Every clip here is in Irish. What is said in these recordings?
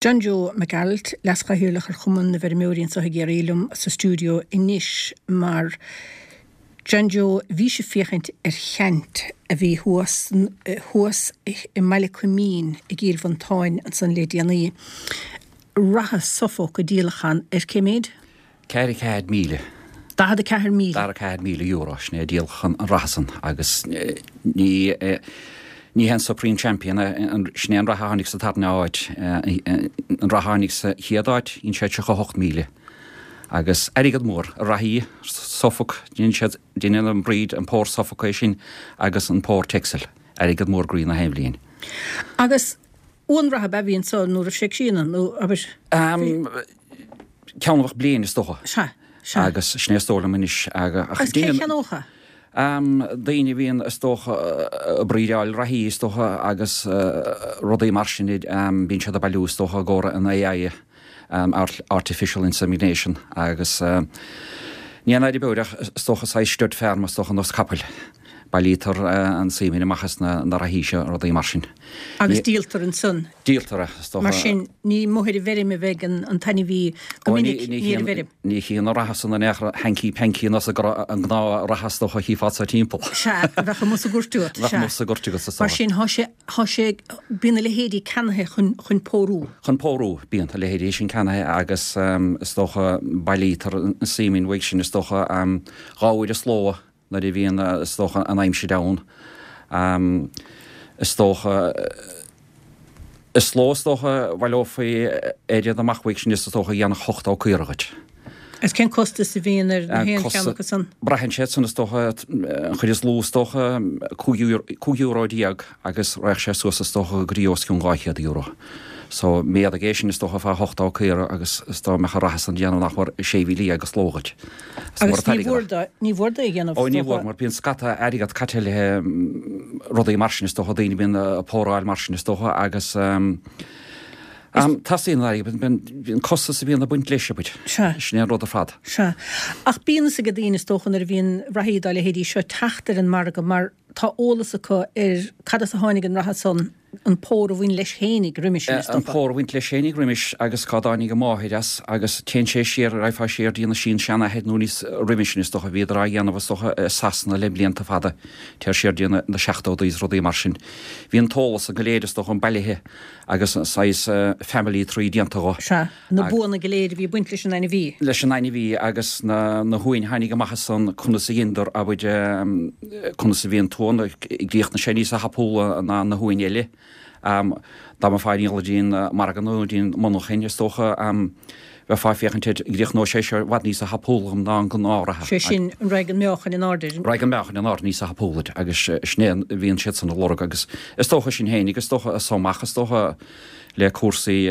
John Joe Mac Gearailt, Leas-Chathaoirleach ar Chumann na bhFeirmeoirí anseo i gCiarraí liom sa stiúideo anois mar John Joe bhís ag féachaint ar cheant a bhí thuas thuas i mBaile Coimín i gCill Mhantáin ansan le déanaí. Reithe Suffolk á díolachán ar cé méid? 44,000. 44,000. €44,000, sin é díolachán an reithe san agus ní ní hé an Supreme Champion é, sin é an reithe a tháinig sa tarna áit, an reithe a tháinig sa chéad áit, dhein sé 38,000. Agus airgead mór, a reithí Suffolk, dhein siad, deineann an breed, an pór Suffolk é sin agus an pór Texel, airgead mór groí na haon bhliain. Agus uan reatha ab ea a bhí anso nó raibh sé ag síneadh nó abair? Ceann a bheadh bliain is dócha. Sea, sea. Agus sin é is dóigh liom anois. Agus cé a cheannódh é? Daoine a bhíonn is dócha ag breedáil reithí is dócha agus rudaí mar sin bíonn siad ag bailiú is dócha i gcomhair an AI, Artificial Insemination, agus ní aon fhadhb ach is dócha saghas stud farm is dócha nós capaill. Bailítear an semen amach as na reithí seo, rudaí mar sin. Agus díoltar ansan. Díoltar é, is dócha. Mar sin, ní amuigh ar an bhfeirm a bheidh an t-ainmhí go minic, ní ar an bhfeirm. Ní hí an reithe san in aon chor hanky panky nós an gnáth-reithe is dócha a chífeá sa timpeall. Sea, a bheadh amuigh sa gcúirt agat. Bheadh amuigh sa gcúirt agat, is dócha. Mar sin, thá sé, thá sé, bíonn a leithéidí ceannaithe chun, chun pórú. Chun pórú, bíonn a leithéidí sin ceannaithe agus is dócha bailítear an semen uaidh sin is dócha 2 uair an slógha. nuair a bhíonn, is dócha, an aimsir ann. Is dócha, is sló is dócha, bhaileofaí oiread amach uaidh sin is dócha a dhéanfadh 80 caora dhuit. Agus cén costas a bhíonn ar na haon cheann acu san? Braitheann sé san is dócha, an chuid is lú is dócha, €15 euro agus raghadh sé suas is dócha go dtí os cionn €200. So, méadaigh é sin is dócha fá 80 caora agus is dóigh mbeadh an reithe san ag déanamh nach mór 16,000 an sló dhuit. Agus ní mhór do, ní mhór do é a dhéanamh, Ó ní mhór, mar bíonn scata airgead caite le rudaí mar sin is dócha, daoine bíonn ag póráil mar sin is dócha agus teastaíonn an airgead, bíonn costas a bhíonn ag baint leis, abair. Sea. Sin é an rud ar fad. Sea. Ach bíonn fhios ag daoine is dócha nuair a bhíonn reithí dá leithéidí seo teacht ar an margadh mar tá eolas acu ar cad as a tháinig an reithe san, an pór a bhain leis fhéinig roimis sin, is An dócha. pór a bhain leis fhéinig roimis agus cá dtáinig an mháthair as agus téann sé siar, raghfá siar dtí na sin-seanathair nó níos roimhe sin is dócha, bhíodar á dhéanamh is dócha i Sasana le blianta fada, téir siar dtí na seachtódaí is rudaí mar sin. Bhí an t-eolas san go léir is dócha bailithe agus saghas family tree déanta dho. Sea. Na buanna go léir a bhí ag baint leis an ainmhí. leis an ainmhí agus na na huain a tháinig amach as san, conas a dheineadar, abair, conas a bhí an t-uan, gcríochnaigh sé níosa thapúla ná na huain eile. Dá mbeifeá ag díol dtí an margadh nó dtí an monarchain, is dócha, bheifeá ag féachaint air, gcríochnóidh sé seo i bhfad níosa thapúla dhom ná an gnáthreithe. Sé sin, an raghaidh an meáchan in airde. Raghaidh an meáchan in airde níosa thapúla agus sin é a bhíonn siadsan ag lorg agus is dócha sin féinig, is dócha, as so amach, is dócha, le cúrsaí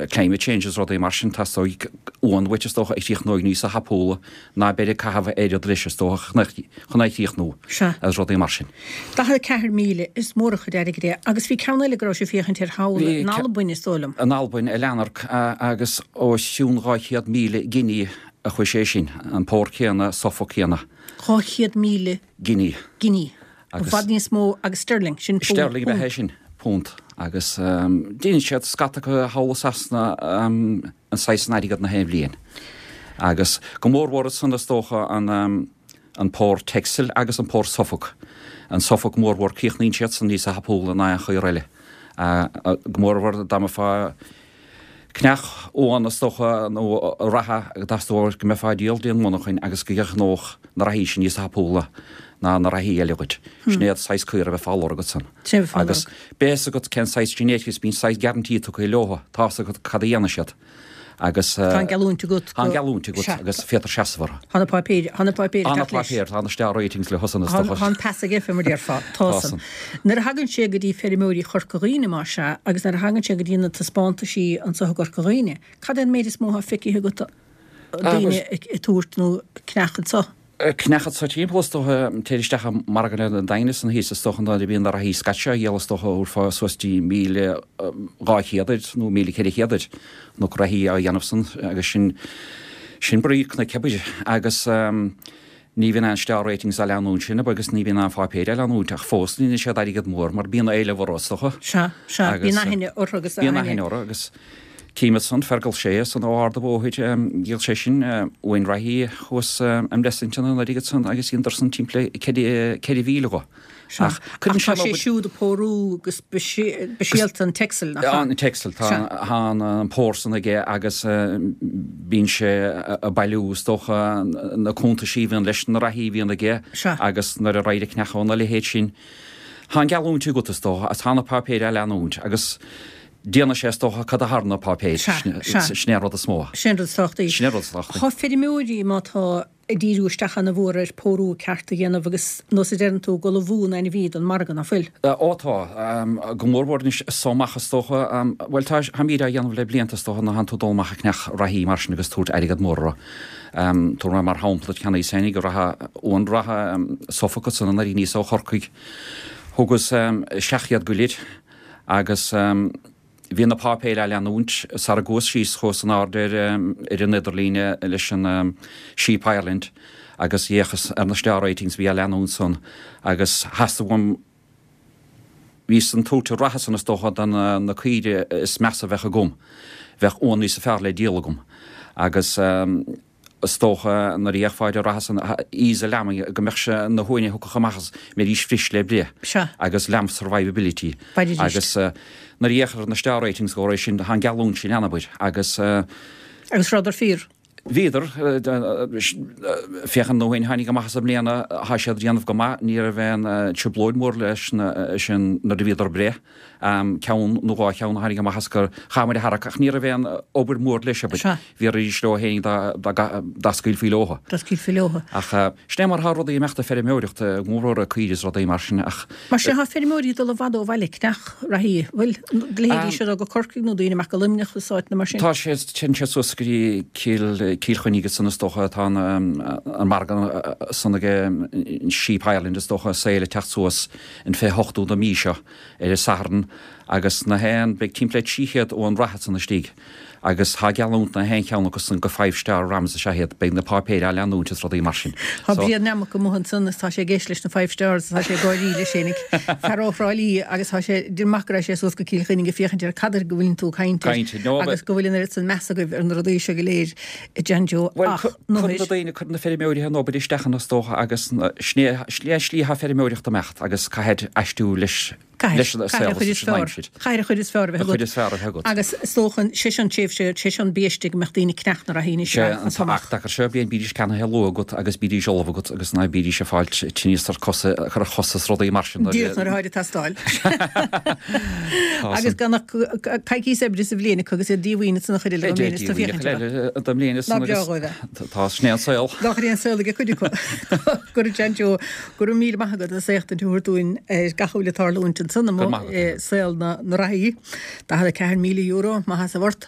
climate change is rudaí mar sin, teastóidh uan uait is dócha a chríochnóidh níosa thapúla ná beir ag caitheamh oiread leis is dócha chun é a chríochnú agus rudaí mar sin. 44,000, is mór an chuid airgid é. Agus bhí ceann eile go raibh sibh ag féachaint air thall in Albain is dóigh liom. In Albain, i Lanark, agus os cionn 200,000 giní a chuaigh sé sin, an pór céanna, Suffolk céanna. 200,000 giní. Giní. I bhfad níos mó agus sterling, sin punt. Sterling ab ea é sin, punt. Agus deineann siad scata acu thall i Sasana an saghas san airgead na haon bhliain. Agus go mórmhór ansan is dócha an an pór Texel agus an pór Suffolk. An Suffolk mórmhór críochnaíonn siad san níosa thapúla ná aon chaor eile. Go mórmhór dá mbeifeá Cneach uan is dócha nó reithe go dteastódh go mbeifeá ag díol dtí an mhonarchain agus go gcríochnódh na reithí sin níos tapúla ná na reithí eile dhuit. Sin é an saghas caora a bheifeá a lorg ansan. Agus beidh fhios agat cén saghas genetics, bíonn saghas guarantee tugtha leothu, tá fhios agat cad a dhéanfaidh siad. Agus. Tá an geallúint agat go. Tá an geallúint agat agus féadtar seasamh orthu. Tá na páipéir, tá na páipéir ag teacht leis. Tá na páipéir, tá na star ratings leo san is dócha. Tá an pas aige fé mar déarfá. Tá san. Nuair a thagann sé go dtí feirmeoirí Chorca Dhuibhne, más ea, agus nuair a thagann sé go dtí na taispeántaisí anso i gCorca Dhuibhne, cad é an méid is mó atá feicthe agat daoine ag tabhairt nó cneach anso? Cneach anso timpeall is dócha, téir isteach i margadh an Daingin ansan thíos is dócha nuair a bhíonn na reithí scaití á dhíol is dócha thabharfá suas dtí 1,200 air nó 1,400 air nó reithí á dhéanamh san agus sin sin brí cnoic abair agus. Ní bhíonn aon star ratings á leanúint sin agus ní bhíonn aon pháipéir á leanúint ach fós ní dhéanann siad airgead mór mar bíonn éileamh orthu is dócha. Sea, sea, bíonn aithne orthu agus aithne. Bíonn aithne orthu agus tchím ansan Fergal Sé san ó Ard a' Bhóthair, dhíol sé sin uain reathaí thuas i mBlessington anuraidh ansan agus dheineadar san timpeall 4,000 dho. Sea, ach tá sé siúd ag pórú go speisialta an Texel, nach ea? An Texel, tá an pór san aige agus bíonn sé ag bailiú, is dócha, na cuntaisí a bhíonn leis, na reathaí a bhíonn aige agus nuair a raghair ag cneachadh na leithéid sin. Tá an geallúint agat, is dócha, agus tá na páipéir á leanúint agus déanfaidh sé, is dócha, cad a thar na páipéir, sin é an rud is mó. Sin é an rud is tábhachtaí. Sin é an rud is tábhachtaí. Tá feirmeoirí, má tá ag díriú isteach ana mhór ar pórú ceart a dhéanamh agus nós a deireann tú ag ullmhú an ainmhí don margadh, ná fuil? Ó tá. Go mór mhór anois so amach is dócha. Bhuel tá, táimíd á dhéanamh le blianta is dócha nuair a thánn tú ag dul amach ag cneach reathaí mar sin agus tabhairt airgead mór orthu. Tabharfaidh mé mar shampla duit cheannaíos féinig reatha, uan reatha Suffolk ansan anuraidh aníos ó Chorcaigh. Thugas isteach iad go léir agus. Bhí na páipéir á leanúint sara gcuas síos chuas in airde ar an idirlíne leis an Sheep Ireland agus d'fhéachas ar na star ratings a bhí á leanúint san agus theastaigh uaim bhí san tabhairt an ratha san is dócha do na caoire is measa a bheadh agam bheadh uan níosa fearr le díol agam agus Is dócha, nuair a fhéachfá ar an rath san ease lambing, go mbeadh sé na huain a thiocfadh amach as, mbeidís fris le breith. Sea. Agus lamb survivability. Mbeidís. Agus nuair a fhéachfá ar na star ratings go raibh sin, tá an geallúint sin ann, abair. Agus. Agus rabhadar fíor. Bhíodar. Féach ar na huain a tháinig amach as i mbliana, thá siad ag déanamh go maith, ní raibh aon trioblóid mhór leis na, sin nuair a bhíodar ag breith. Ceann nó dhá cheann a tháinig amach as gur chaith muid a tharrac ach ní raibh aon obair mhór leis, abair. Sea. Bhíodar arís leo féin dá scaoilfí leotha. Dá scaoilfí leotha. Ach sin é mar atá rudaí ag imeacht ag feirmeoireacht, go mór mhór caoirigh is rudaí mar sin ach. Mar sin tá feirmeoirí ag dul i bhfad ó bhaile ag cneach reathaí. Bhfuil leithéidí seo go Corcaigh nó daoine amach go Luimneach is áiteanna mar sin? Tá sé, téann siad suas go dtí Cill, Cill Chainnigh ansan is dócha atá an margadh san ag Sheep Ireland is dócha, sale ag teacht suas an 28ú den mhí seo ar an Satharn agus na haon, beidh timpeall le 300 uan reatha san istigh agus tá geallúint na haon cheann acu san go five star rams is ea iad, beidh na páipéir á leanúint is rudaí mar sin. Tá Brian Nammock amuigh ansan is tá sé ag éisteacht leis na five stars is tá sé ag gáirí leis féinig, fear ó Thrá Lí agus tá sé, deir maith go raibh sé suas go Cill Chainnigh ag féachaint ar cad air go bhfuileann tú ag caint air agus go bhfuil an oiread san meas agaibh ar na rudaí seo go léir a John Joe Bhuel, ach cuireann na daoine, cuireann na feirmeoirí an obair isteach ann is dócha agus sin é an slí atá feirmeoireacht ag imeacht agus caithfidh aistriú leis leis an saol is leis an aimsir. Caithfidh an chuid is fearr a bheith agat. An chuid is fearr a bheith agat. Agus is dócha, sé seo an tréimhse, sé seo an biaiste go mbeadh daoine ag cneach na reathaí anois Sé an t-ach tacar seo, bíonn bídís ceannaithe luath agat agus bídís ullamh agat agus ná bídís ag fáilt tinneas ar cosa, cur ar chosa is rudaí mar sin. Díreach nuair atáid ag teastáil. Agus gan ach coicíos oibre sa bhliain acu agus iad díomhaoin ansan an chuid eile den mbliain is tú féachaint orthu. Den mbliain is Ná breá dhóibh é. Tá, sin é an saol. Nach é an saol ag cuid acu. Go raibh John Joe, go raibh míle maith agat as éachtaint a thabhairt dúinn ar gach a bhfuil ag tarlúint ansan amuigh i saol na reathaí. €44,000, maith as a bhort.